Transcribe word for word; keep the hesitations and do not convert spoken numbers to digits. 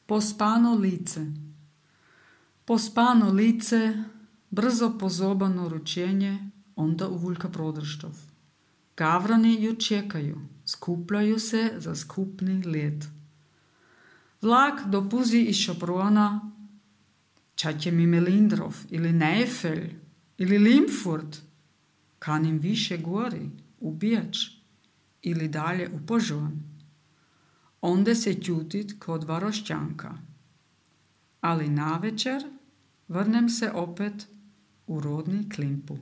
Pospano lice. Pospano lice, brzo pozobano ručenje, onda uvuljka prodrštov. Gavrani ju čekaju, skupljaju se za skupni let. Vlak dopuzi iz Šoprona, čak je mi Melindrov, ili Neifel, ili Limfurt, kanim više gori, u Bijač, ili dalje u Požon. Onda se ćutit kod Varošćanka. Ali navečer vrnem se opet u rodni Klimpu.